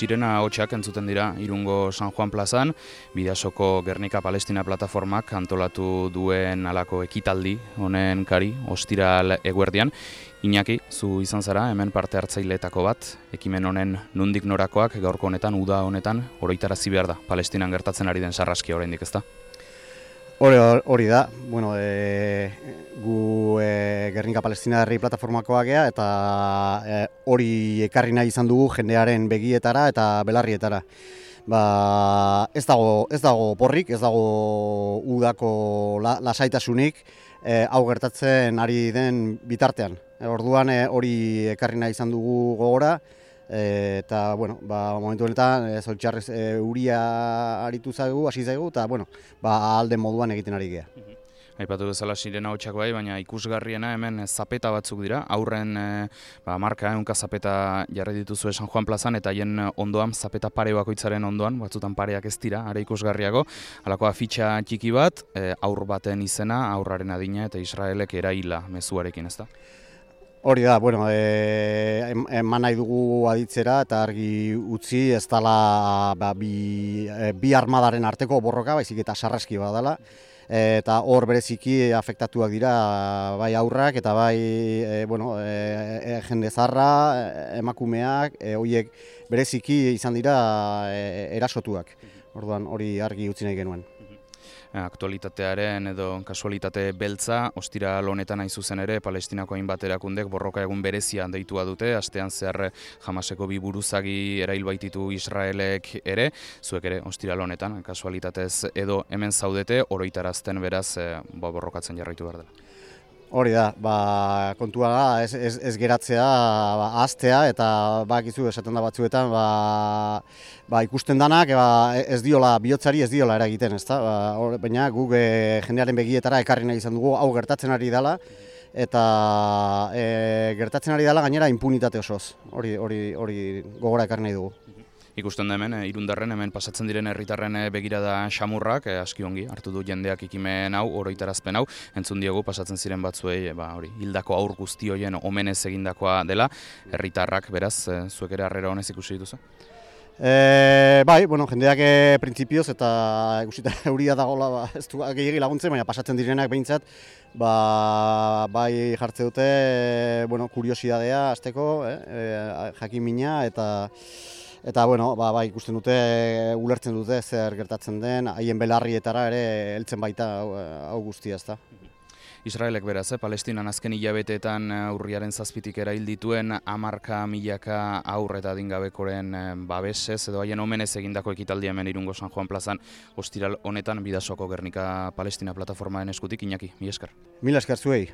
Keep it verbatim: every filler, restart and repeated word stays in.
Sirena hotxak entzuten dira Irungo San Juan plazan, Bidasoko Gernika Palestina plataformak antolatu duen halako ekitaldi honen kari, ostiral eguerdian. Iñaki, zu izan zara hemen parte hartzaileetako bat, ekimen honen nondik norakoak gaurko honetan, uda honetan, oroitarazi behar da, Palestinan gertatzen ari den sarraskia oraindik, ezta? Hori, hori da, bueno, e, gu e, Gernika Palestina herri plataformakoak gea eta e, hori ekarri nahi izan dugu jendearen begietara eta belarrietara. Ba, ez dago, ez dago porrik, ez dago udako la, lasaitasunik e, hau gertatzen ari den bitartean. E, orduan e, hori ekarri nahi izan dugu gogora. E, eta, bueno, ba, momentu honetan, e, zoritxarrez e, uria aritu zaigu, hasi zaigu, eta, bueno, ba, alde moduan egiten ari gea. Aipatu bezala Sirena hotxak bai, baina ikusgarriena hemen zapeta batzuk dira, aurren e, ba, marka, ehunka zapeta jarri dituzue San Juan plazan, eta haien ondoan, zapeta pare bakoitzaren ondoan, batzutan pareak ez dira, are ikusgarriago, halako afitxa txiki bat, e, aur baten izena, aurraren adina, eta Israelek eraila mezuarekin, ezta? Hori da, bueno, e, eman nahi dugu aditzera eta argi utzi ez dela ba, bi, e, bi armadaren arteko borroka, baizik eta sarraski bat dela. E, eta hor bereziki afektatuak dira bai aurrak eta bai e, bueno, e, e, jende zarra, emakumeak, e, horiek bereziki izan dira e, erasotuak. Orduan hori argi utzi nahi genuen. Aktualitatearen edo kasualitate beltza, ostiral honetan hain zuzen ere, Palestinako hainbat erakundek borroka egun berezia deitua dute, astean zehar Hamaseko bi buruzagi erail baititu Israelek ere, zuek ere ostiral honetan, kasualitatez edo hemen zaudete, oroitarazten beraz ba, borrokatzen jarraitu behar dela. Hori da, ba, kontua da, ez, ez, ez geratzea, ba, ahaztea, eta bakizu esaten da batzuetan, ba, ba, ikusten danak, ba, ez diola, bihotzari ez diola eragiten, ezta? Ba, or, baina guk e, jendearen begietara ekarri nahi izan dugu, hau gertatzen ari dela, eta e, gertatzen ari dela gainera impunitate osoz, hori, hori, hori gogora ekarri nahi dugu. Ikusten da hemen, Irundarren, hemen pasatzen diren herritarren begirada xamurrak, eh, aski ongi, hartu du jendeak ekimen hau, oroitarazpen hau, entzun diogu pasatzen ziren batzuei, ba, hori, hildako aur guzti horien omenez egindakoa dela, herritarrak, beraz, eh, zuek ere harrera honez ikusi dituzu? E, bai, bueno, jendeak e, printzipioz eta ikusita euria dagoela ba, ez du gehiagi laguntzen, baina pasatzen direnak behintzat, ba, bai jartze dute, e, bueno, kuriosidadea hasteko, eh, e, jakimina eta Eta, bueno, ba, ba, ikusten dute, ulertzen dute zer gertatzen den, haien belarrietara ere heltzen baita hau, hau guztia, ezta. Israelek beraz, eh? Palestinan azken hilabeteetan urriaren zazpitik erail dituen hamarka milaka aur eta adingabekoren babesez edo haien omenez egindako ekitaldia hemen Irungo San Juan plazan ostiral honetan Bidasoko Gernika Palestina plataformaren eskutik. Iñaki, mila esker. Mila esker zuei.